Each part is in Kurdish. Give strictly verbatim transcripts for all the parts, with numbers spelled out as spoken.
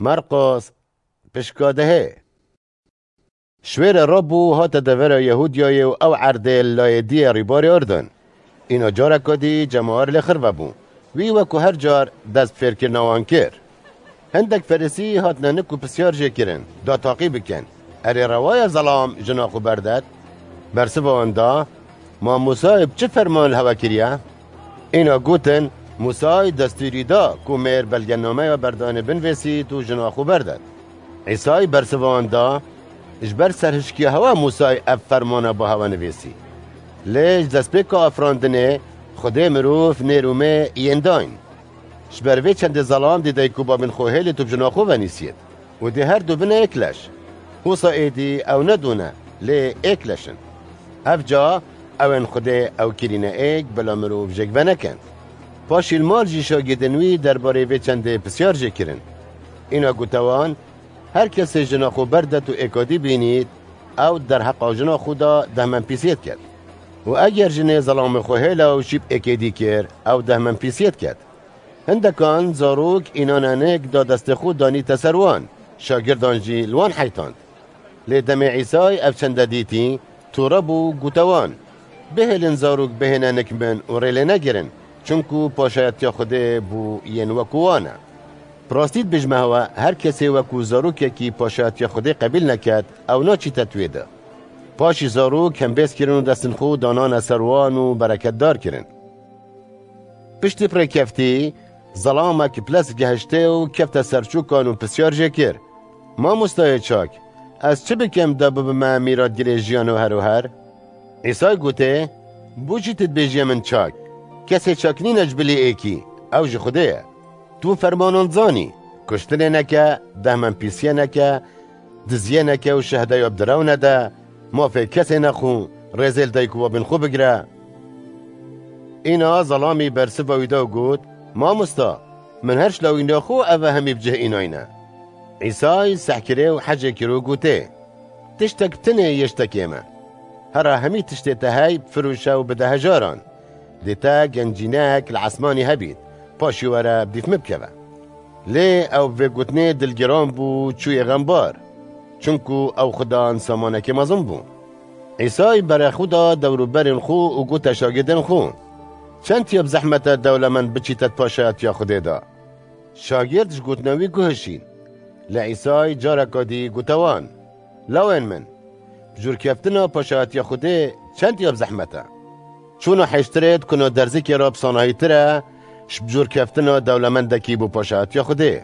Merqos, pişka dehê. Şwêre rabû hate devera Yehûdiyayê û ew erdê li layê diyê rîbarê Urdun. Îna careka dî cemawer lê xirve bû. Wî wekû her car dest bi fêrkirina wan kir. Hindek Ferîsî hatine nik û pisyar jê kirin, da taqî bikin. Erê rewa ye zelam jina xwe berdet? Bersiva wan da, Ma Mûsayê bi çi ferman li hewe kiriye? Îna gotin, Mûsay destûrî da ku mêr belgenameya berdanê binivîsît û jina xwe berdet. Îsay bersiva wan da, Ji ber serhişkiya hewe Mûsay ev fermana bo hewe nivîsî. Lê ji destpêka afirandinê Xwedê mirov nêr û mê yên dayîn. Ji ber vê çendê zelam dê dayik û babên xwe hêlît û bi jina xwe venîsiyêt. Û dê her du bine êk leş. Wisa êdî ew ne du ne, lê êk leş in. Ev ca ew ên Xwedê ew kirîne êk, bila mirov jêk venekend. Paşî li mal jî şagidên wî derbarê vê çendê pisyar jê kirin. Îna gote wan, Her kesê jina xwe berdet û êkadî bînît, ew derheqa jina xwe da dehmenpîsiyê diket. Û eger jinê zelamê xwe hêla û şî bi êkê dî kir, ew dehmenpîsiyê diket. Hindekan zarok înane nik da destê xwe danîte ser wan, şagirdan jî li wan heytand. Lê demê Îsay ev çende dîtî, tûre bû, gote wan, Bihêlin zarok bihêne nik min û rê lê negirin, çunku paşayetiya Xwedê bo yên wekû wan e. Bi rastî dibêjime hewe, her kesê wekû zarokekî paşayetiya Xwedê qebîl neket, ew naçîte di wê de. Paşî zarok hembêz kirin û destên xwe danane ser wan û bereketdar kirin. Piştî bi rê keftî, zelamek bi lez gehiştê û kefte ser çokan û pisyar jê kir, Mamostayê çak, ez çi bikim da bibime mîratgirê jiyan û her û her? Îsay gotê, Bo çi tu dibêjiyê min çak? Kesê çak nîne ji bilî êkî, ew ji Xwedê ye. Tu fermanan zanî, kuştinê neke, dehmenpîsiyê neke, diziyê neke û şehdeya bi direw nede, mafê kesê nexwe, rêzê li dayik û babên xwe bigire. Îna zelamî bersiva wî da û got, Mamosta, min her ji lawîna xwe eve hemî bi cih înayne. Îsay sehkirê û hecê kir û gotê, Tiştek bi tinê yê ji tekê me. Hera hemî tiştê te hey bifiroşe û bide hejaran. Dê te gencînek li esmanî hebît, paşî were bi dîf min bikeve. Lê ew bi vê gotinê dilgiran bû, çûye xembar. Çunku ew xwe dan samanekê mezin bû. Îsay berê xwe da dewrûberên xwe û gote şagirdên xwe, Çend ya bi zehmet e dewlemend biçîte di paşayetiya Xwedê de? Şagird ji gotina wî guhişîn. Lê Îsay careka dî gote wan, Lawên min, bi jûrkeftina paşayetiya Xwedê çend ya bi zehmet e? Çûna hêştirê di kuna derzikê re bi sanahîtir e, ji bi jûrkeftina dewlemendekî bo paşayetiya Xwedê.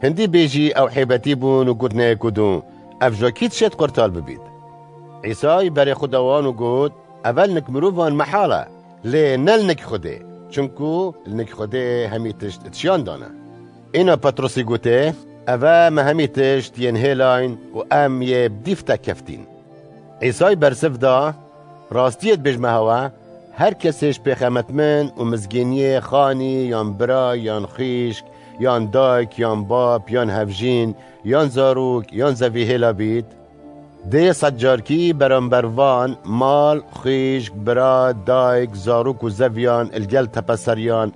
Hindî bêjî ew hêbetî bûn û gotinê yek û du, Ev ji kî dişêt qurtal bibît? Îsay berê xwe da wan û got, Eve li nik mirovan mehal e, lê ne li nik Xwedê. Çunku li nik Xwedê hemî tişt di şiyan de ne. Îna Petrosî gotê, Eve me hemî tişt yên hêlayn û em yê bi dîf te keftîn. Îsay bersiv da, Rastiyê dibêjime hewe, her kesê ji pêxemet min û mizgîniyê xanî yan bira yan xwîşk yan dayik yan bab yan hevjîn yan zarok yan zevî hêla bît, dê sedcarkî beramber van mal, xwîşk, bira, dayik, zarok û zeviyan li gel tepeseriyan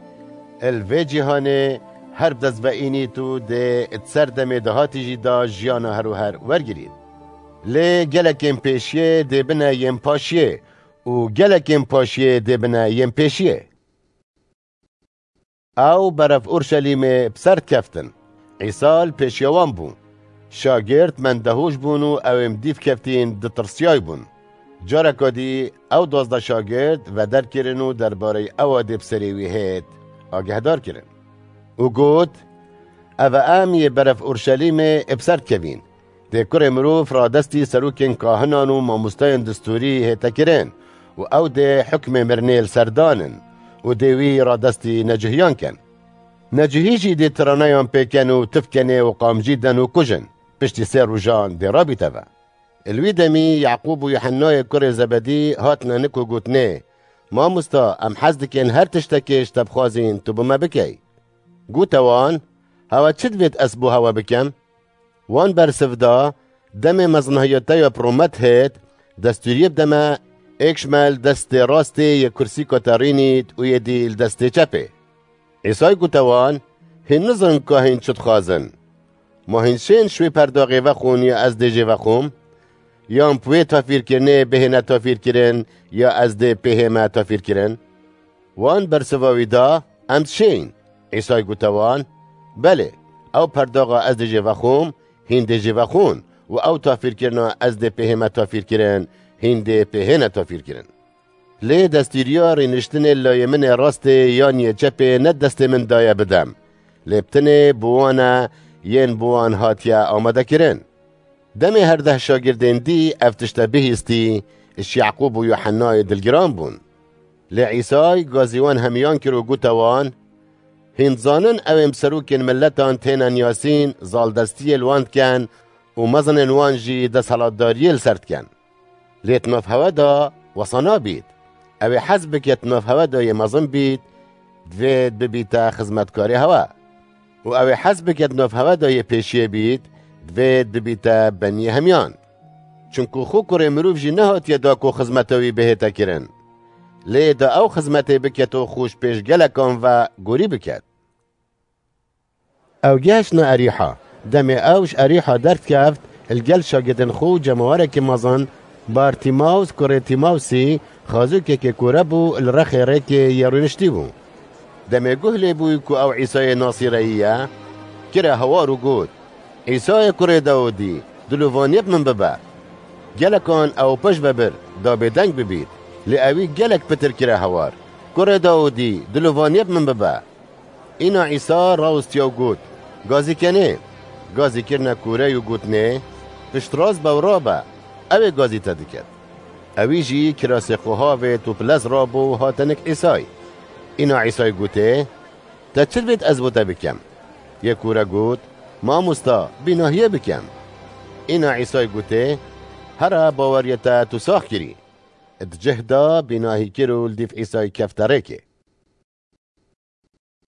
li vê cîhanê her bi dest ve înît û dê di ser demê dahatî jî da jiyana her û her wergirît. Lê gelekên pêşiyê dê bine yên paşiyê û gelekên paşiyê dê bine yên pêşiyê. Ew berev Urşelîmê bi ser dikeftin. Îsa li pêşiya wan bû. Şagird mendehûş bûn û ew ên bi dîf keftîn ditirsiyay bûn. Careka dî ew duwazdeh şagird veder kirin û derbareyê ewa dê bi serê wî hêt agehdar kirin. Û got, Eve em yê berev Urşelîmê bi ser dikevîn. Dê kurê mirov radestî serokên kahinan û mamosteyên distûrî hête kirin û ew dê hukmê mirinê li ser danin û dê wî radestî necihîyan ken. Necihî jî dê tiraneyan pê ken û tif kenê û qamcî den û kujin. Piştî sê rojan dê rabîte ve. Li wî demî Yaqûb û Yuhennayê kurê Zebedî hatine nik û gotinê, Mamosta, em hez dikin her tiştekê ji te bixwazîn tu bo me bikey. Gote wan, Hewe çi divêt ez bo hewe bikim? Wan bersiv da, Demê mezinahiya te ya bi rûmet hêt, destûriyê bide me, êk ji me li destê rastê yê kursîka te rînît û yê dî li destê çepê. Îsay gote wan, Hîn nizanin ka hîn çi dixwazin. Ma hîn şên ji wê perdaxê vexwin ya ez dê jê vexwim? Yan bi wê tafîrkirinê bihêne tafîrkirin ya ez dê pêhême tafîrkirin? Wan bersiva wî da, Em dişên. Îsay gote wan, Belê, ew perdaxa ez dê jê vexwim, hîn dê jê vexwin û ew tafîrkirina ez dê pêhême tafîrkirin, hîn dê pêhêne tafîrkirin. Lê destûriya rêniştinê layê min ê rastê yan yê çepê ne destê min daye bidem. Lê bi tenê bi wan e yên bi wan hatiye amadekirin. Demê her deh şagirdên dî ev tişte bihîstî, ji Yaqûb û Yuhennayê dilgiran bûn. Lê Îsay gazî wan hemiyan kir û gote wan, Hîn dizanin ew ên bi serokên miletan têne niyasîn, zaldestiyê li wan dikin û mezinên wan jî desthilatdariyê li ser dikin. Lê di nav hewe de wesa nabît. Ew ê hez bike di nav hewe de yê mezin bît, divêt bibîte xizmetkarê hewe. Û ew ê hez bike di nav hewe de yê pêşiyê bît, divêt bibîte beniyê hemiyan. Çunku xwe kurê mirov jî nehatiye da ku xizmeta wî bihête kirin. Lê da ew xizmetê biket û xwe ji pêş gelekan ve gorî biket. Ew gihiştine Erîha. Demê ew ji Erîha derdikeft, li gel şagirdên xwe û cemawerekî mezin, Bartîmaws, kurê Tîmawsî, xazûkekê kûre bû, li rexê rêkê yê rûniştî bû. Demê guh lê bû ku ew Îsayê Nasîreyî ye, kire hewar û got, Îsayê kurê Dawidî, dilovaniyê bi min bibe. Gelekan ew pişt ve bir, da bêdeng bibît, lê ewî gelek pitir kire hewar, Kurê Dawidî, dilovaniyê bi min bibe. Îna Îsa rawestiya û got, Gazî kenê. Gazî kirine kûrey û gotinê, Piştrast be û rabe, ew ê gazî te diket. Ewî jî kirasê xwe havêt û bi lez rabû û hate nik Îsay. Îna Îsay gotê, Te çi divêt ez bo te bikem? Yê kûre got, Mamosta, bînahiyê bikem. Îna Îsay gotê, Here, baweriya te tu sax kirî. Di cih de bînahî kir û li dîv Îsay kefte rêkê.